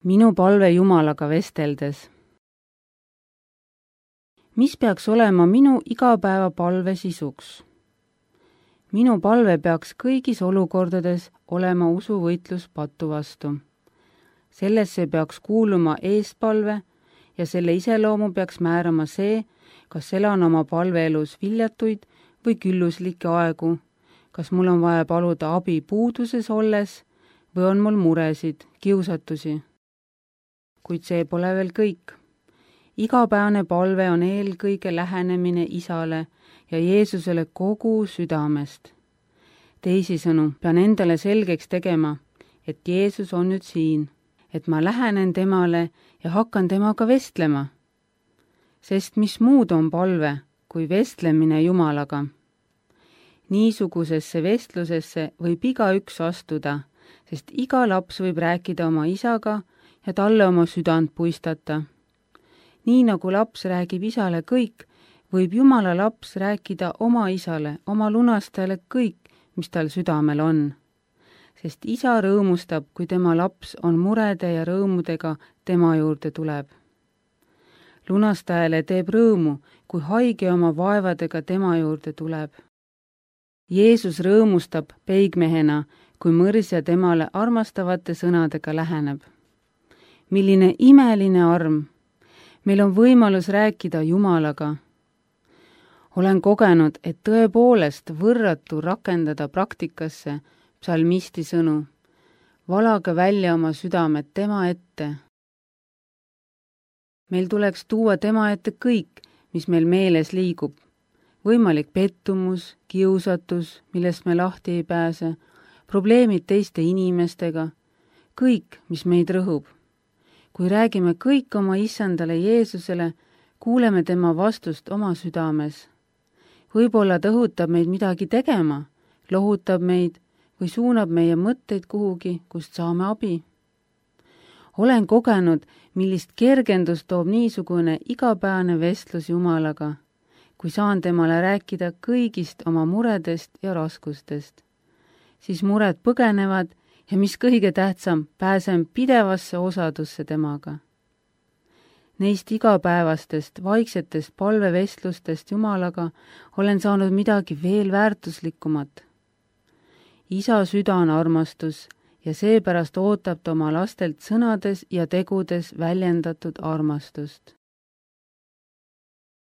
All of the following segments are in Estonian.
Minu palve Jumalaga vesteldes. Mis peaks olema minu igapäeva palve sisuks? Minu palve peaks kõigis olukordades olema usuvõitlus patu vastu. Sellesse peaks kuuluma eespalve ja selle iseloomu peaks määrama see, kas elan oma palveelus viljatuid või külluslikke aegu, kas mul on vaja paluda abi puuduses olles või on mul muresid, kiusatusi. Kuid see pole veel kõik. Igapäevane palve on eelkõige lähenemine Isale ja Jeesusele kogu südamest. Teisisõnu, pean endale selgeks tegema, et Jeesus on nüüd siin, et ma lähenen temale ja hakkan temaga vestlema. Sest mis muud on palve kui vestlemine Jumalaga? Niisugusesse vestlusesse võib igaüks astuda, sest iga laps võib rääkida oma isaga ja talle oma südant puistata. Nii nagu laps räägib isale kõik, võib Jumala laps rääkida oma isale, oma lunastajale kõik, mis tal südamel on. Sest isa rõõmustab, kui tema laps on murede ja rõõmudega tema juurde tuleb. Lunastajale teeb rõõmu, kui haige oma vaevadega tema juurde tuleb. Jeesus rõõmustab peigmehena, kui mõrsja temale armastavate sõnadega läheneb. Milline imeline arm! Meil on võimalus rääkida Jumalaga. Olen kogenud, et tõepoolest võrratu rakendada praktikasse psalmisti sõnu. Valage välja oma südamed tema ette. Meil tuleks tuua tema ette kõik, mis meil meeles liigub. Võimalik pettumus, kiusatus, millest me lahti ei pääse, probleemid teiste inimestega, kõik, mis meid rõhub. Kui räägime kõik oma issandale Jeesusele, kuuleme tema vastust oma südames. Võib-olla ta õhutab meid midagi tegema, lohutab meid või suunab meie mõtteid kuhugi, kust saame abi. Olen kogenud, millist kergendust toob niisugune igapäevane vestlus Jumalaga, kui saan temale rääkida kõigist oma muredest ja raskustest. Siis mured põgenevad ja mis kõige tähtsam, pääsen pidevasse osadusse temaga. Neist igapäevastest, vaiksetest palvevestlustest Jumalaga olen saanud midagi veel väärtuslikumat. Isa süda on armastus ja seepärast ootab ta oma lastelt sõnades ja tegudes väljendatud armastust.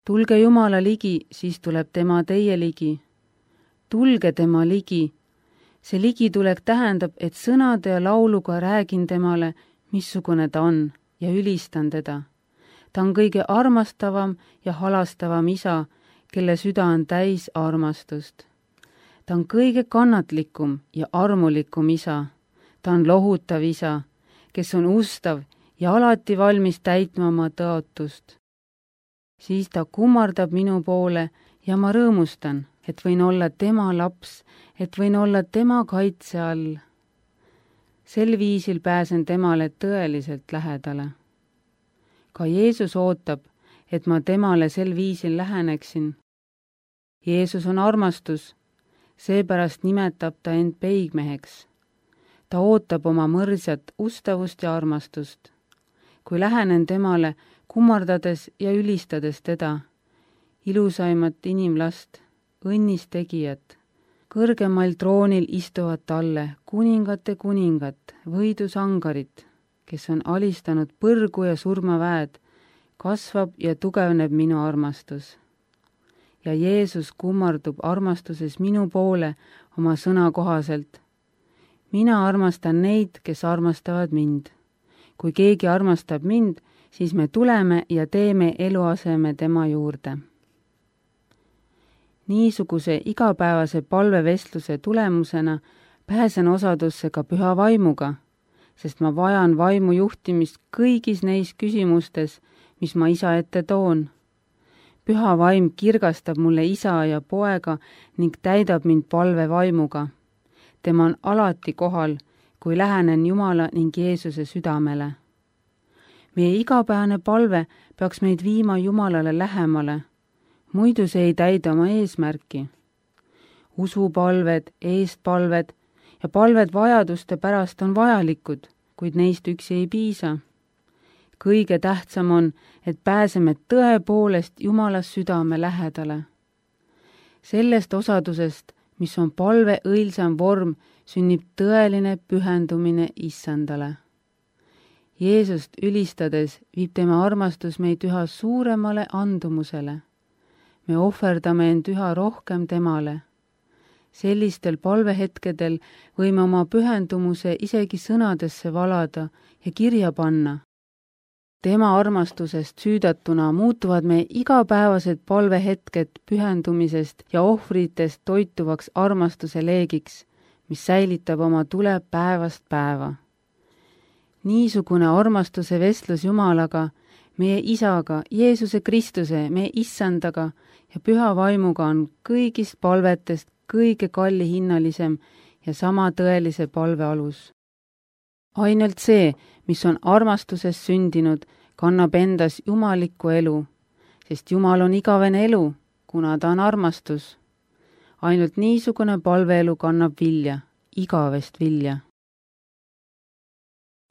Tulge Jumala ligi, siis tuleb tema teie ligi. Tulge tema ligi. See ligitulek tähendab, et sõnade ja lauluga räägin temale, missugune ta on ja ülistan teda. Ta on kõige armastavam ja halastavam isa, kelle süda on täis armastust. Ta on kõige kannatlikum ja armulikum isa. Ta on lohutav isa, kes on ustav ja alati valmis täitma oma tõotust. Siis ta kummardab minu poole ja ma rõõmustan, et võin olla tema laps, et võin olla tema kaitse all. Sel viisil pääsen temale tõeliselt lähedale. Ka Jeesus ootab, et ma temale sel viisil läheneksin. Jeesus on armastus, seepärast nimetab ta end peigmeheks. Ta ootab oma mõrsjat ustavust ja armastust. Kui lähenen temale, kummardades ja ülistades teda, ilusaimat inimlast, õnnis tegijat, kõrgemal troonil istuvad talle kuningate kuningat, võidusangarit, kes on alistanud põrgu ja surmaväed, kasvab ja tugevneb minu armastus. Ja Jeesus kummardub armastuses minu poole oma sõna kohaselt. Mina armastan neid, kes armastavad mind. Kui keegi armastab mind, siis me tuleme ja teeme eluaseme tema juurde. Niisuguse igapäevase palvevestluse tulemusena pääsen osadusse ka püha vaimuga, sest ma vajan vaimu juhtimist kõigis neis küsimustes, mis ma isa ette toon. Püha vaim kirgastab mulle isa ja poega ning täidab mind palvevaimuga. Tema on alati kohal, kui lähenen Jumala ning Jeesuse südamele. Meie igapäevane palve peaks meid viima Jumalale lähemale, muidu see ei täida oma eesmärki. Usupalved, eestpalved ja palved vajaduste pärast on vajalikud, kuid neist üksi ei piisa. Kõige tähtsam on, et pääseme tõepoolest Jumala südame lähedale. Sellest osadusest, mis on palve õilsam vorm, sünnib tõeline pühendumine Issandale. Jeesust ülistades viib tema armastus meid üha suuremale andumusele. Me ohverdame end üha rohkem temale. Sellistel palvehetkedel võime oma pühendumuse isegi sõnadesse valada ja kirja panna. Tema armastusest süüdatuna muutuvad meie igapäevased palvehetked pühendumisest ja ohvritest toituvaks armastuse leegiks, mis säilitab oma tule päevast päeva. Niisugune armastuse vestlus Jumalaga, meie Isaga, Jeesuse Kristuse, meie Issandaga ja püha vaimuga on kõigist palvetest kõige kallihinnalisem ja sama tõelise palve alus. Ainult see, mis on armastusest sündinud, kannab endas jumalikku elu, sest Jumal on igavene elu, kuna ta on armastus. Ainult niisugune palveelu kannab vilja, igavest vilja.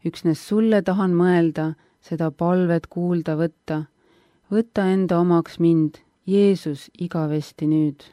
Üksnes sulle tahan mõelda, seda palvet kuulda võtta. Võta enda omaks mind, Jeesus, igavesti nüüd.